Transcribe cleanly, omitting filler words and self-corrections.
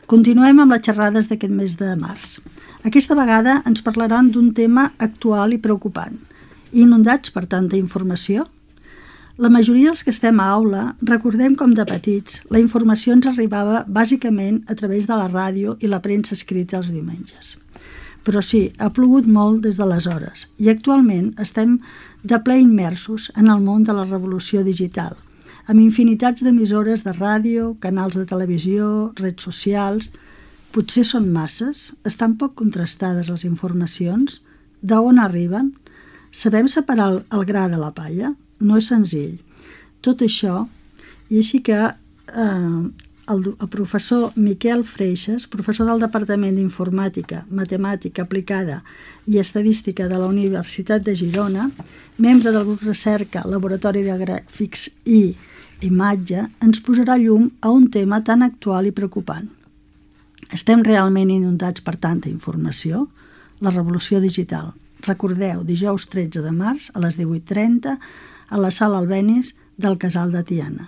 Continuem amb les xerrades d'aquest mes de març. Aquesta vegada ens parlaran d'un tema actual i preocupant. Inundats per tanta informació? La majoria dels que estem a aula recordem com de petits la informació ens arribava bàsicament a través de la ràdio i la premsa escrita els diumenges. Però sí, ha plogut molt des d'aleshores i actualment estem de ple immersos en el món de la revolució digital, amb infinitats d'emissores de ràdio, canals de televisió, redes socials. Potser són masses? Estan poc contrastades les informacions? D'on arriben? Sabem separar el gra de la palla? No és senzill. Tot això, i així que el professor Miquel Freixas, professor del Departament d'Informàtica, Matemàtica Aplicada i Estadística de la Universitat de Girona, membre del grup Recerca, Laboratori de Gràfics i Imatge, ens posarà llum a un tema tan actual i preocupant. Estem realment inundats per tanta informació? La revolució digital. Recordeu, dijous 13 de març a les 18:30 a la Sala Albéniz del Casal de Tiana.